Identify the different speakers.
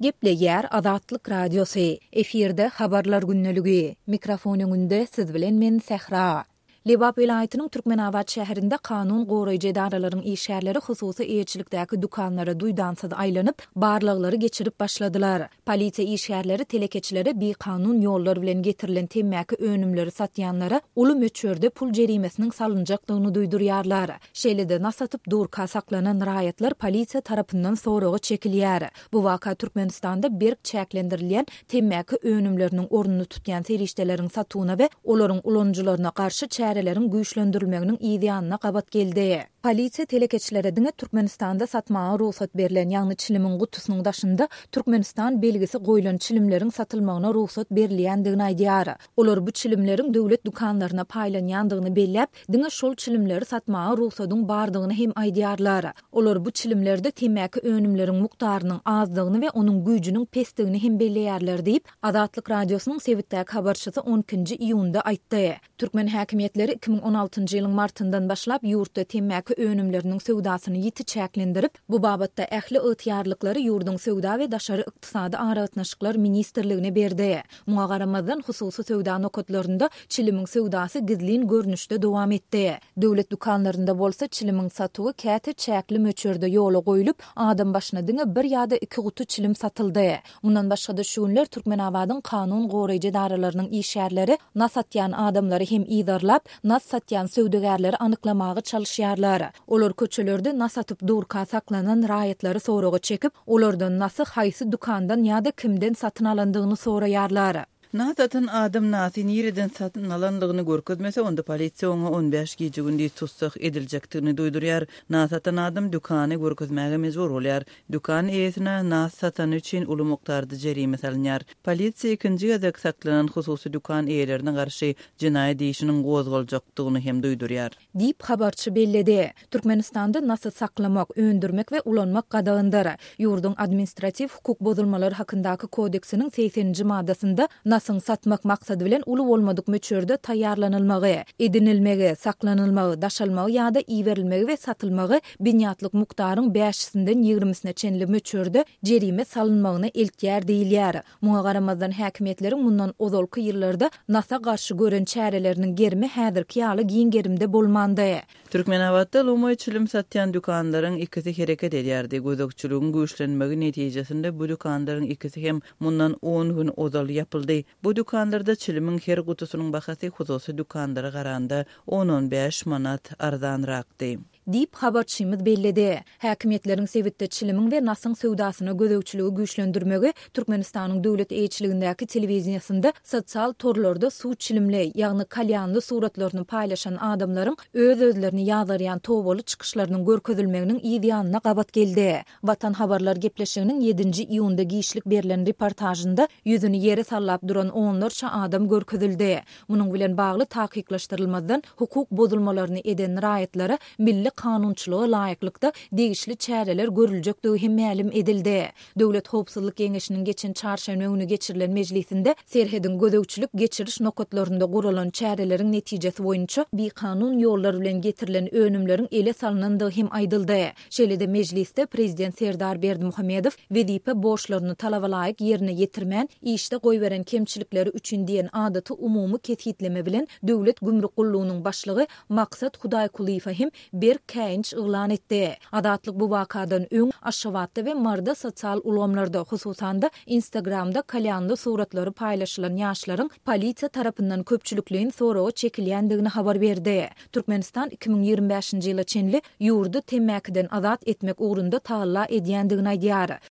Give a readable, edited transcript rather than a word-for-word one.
Speaker 1: Gepleýär Azatlyk Radiosy, efirde Habarlar gündeligi. Mikrofon öňünde siz bilen men Sähra. Lebap welaýatynyň Türkmenabat şäherinde kanun goraýjy edaralaryň işgärleri hususy eýeçilikdäki dükanlara duýdansyz aýlanyp, barlaglary geçirip başladylar. Polisiýa işgärleri telekeçilere bikanun ýollar bilen getirilen temmäki önümleri satýanlara uly möçberde pul jerimesiniň salynjakdygyny duýdurýarlar. Şeýle-de, nas atyp durka saklanan raýatlar polisiýa tarapyndan soraga çekilýär. Bu waka Türkmenistanda berk çäklendirilýän temmäki önümleriniň ornuny tutýan serişdeleriň satuwyna we olaryň ulanyjylaryna garşy çäreleriň güýçlendirilmeginiň yzýanyna gabat geldi. Polisiýa telekeçilere diňe Türkmenistanda satmaga rugsat berlen, ýagny çilimiň gutusynyň daşynda Türkmenistan belgisi goýlan çilimleriň satylmagyna rugsat berilýändigini aýdýar. Olar bu çilimleriň döwlet dükanlaryna paýlanýandygyny belläp, diňe şol çilimleri satmaga rugsadyň bardygyny hem aýdýarlar. Olar bu çilimlerde temmäki önümleriň mukdarynyň azdygyny we onuň güýjüniň pesdigini hem belleýärler diýip, Azatlyk Radiosynyň sebitdäki habarçysy on ikinji iýunda aýtdy. Türkmen häkimiýetleri 2016-njy ýylyň martyndan başlap ýurtda temmäki önümleriniň söwdasyny ýiti çäklendirip, bu babatda ähli ygtyýarlyklary ýurduň Söwda we daşary ykdysady aragatnaşyklar ministrligine berdi. Muňa garamazdan, hususy söwda nokatlarynda çilimiň söwdasy gizlin görnüşde dowam etdi. Döwlet dükanlarynda bolsa çilimiň satuwy käte çäkli möçberde ýola goýlup, adam başyna diňe bir ýa-da iki guty çilim satyldy. Mundan başga-da şu günler Türkmenabadyň kanun goraýjy edaralarynyň işgärleri nas atýan adamlary hem yzarlap, nas satýan söwdagärleri anyklamaga çalyşýarlar. Olar köçelerde nas atyp durka saklanan raýatlary soraga çekip, olardan nasy haýsy dükandan ýa-da kimden satyn alandygyny soraýarlar.
Speaker 2: Nas atan adam nasy nireden satyn alandygyny görkezmese, onda polisiýa oňa on bäş gije-gündiz tussag ediljekdigini duýdurýar. Nas atan adam dükany görkezmäge mejbur bolýar. Dükan eýesine nas satany üçin uly mukdarda jerime salynýar. Polisiýa ikinji gezek saklanan hususy dükan eýelerine garşy jenaýat işiniň gozgaljakdygyny hem duýdurýar.
Speaker 1: Diýip, habarçy belledi. Türkmenistanda nasy saklamak, öndürmek we ulanmak gadagandyr. Ýurduň Administratiw hukuk bozulmalary hakyndaky kodeksiniň segseninji maddasynda nasyň satmak maksady bilen uly bolmadyk möçberde taýýarlanylmagy, edinilmegi, saklanylmagy, daşalmagy ýa-da iberilmegi we satylmagy binýatlyk mukdaryň bäşisinden ýigrimisine çenli möçberde jerime salynmagyna eltýär diýilýär. Muňa garamazdan, häkimiýetleriň mundan ozalky ýyllarda nasa garşy gören çäreleriniň gerimi häzirki ýaly giň gerimde bolmandy.
Speaker 2: Türkmenabatda lomaý çilim satýan dükanlaryň ikisi hereket edýärdi. Gözegçiligiň güýçlenmegi netijesinde bu dükanlaryň ikisi hem mundan on gün ozal ýapyldy. Bu dükanlarda çilimiň her gutusynyň bahasy hususy dükanlara garanda on-on bäş manat arzanrakdy.
Speaker 1: Diýip, habarçymyz belledi. Häkimiýetleriň sebitde çilimiň we nasyň söwdasyna gözegçiligi güýçlendirmegi Türkmenistanyň döwlet eýeçiligindäki telewideniýesinde sosial torlarda suw çilimli, ýagny kalýanly suratlaryny paýlaşan adamlaryň öz-özlerini ýazgarýan tobaly çykyşlarynyň görkezilmeginiň yz ýanyna gabat geldi. Watan habarlar gepleşiginiň ýedinji iýunda giçlik berlen reportažynda ýüzüni ýere sallap duran onlarça adam görkezildi. Munuň bilen bagly takyklaşdyrylmazdan hukuk bozulmalaryny eden raýatlara milli kanunçylyga laýyklykda degişli çäreler görüljekdigi hem mälim edildi. Döwlet howpsuzlyk geňeşiniň geçen çarşenbe güni geçirilen mejlisinde serhediň gözegçilik-geçiriş nokatlarynda guralan çäreleriň netijesi boýunça bikanun ýollar bilen getirilen önümleriň ele salnandygy hem aýdyldy. Şeýle-de mejlisde Prezident Serdar Berdimuhamedow wezipe borçlaryny talabalaýyk ýerine ýetirmän, işde goýberen kemçilikleri üçin diýen adaty umumy kesgitleme bilen Döwlet gümrük gullugynyň başlygy Maksat Hudaýkulyýewe hem berk käýinç yglan etdi. Azatlyk bu wakadan öň Aşgabatda we Maryda sosial ulgamlarda, hususan-da, Instagramda kalýanly suratlary paýlaşylan ýaşlaryň polisiýa tarapyndan köpçülikleýin soraga çekilýändigini habar berdi. Türkmenistan 2025-nji ýyla çenli ýurdy temmäkiden azat etmek ugrunda tagalla edýändigini aýdýar.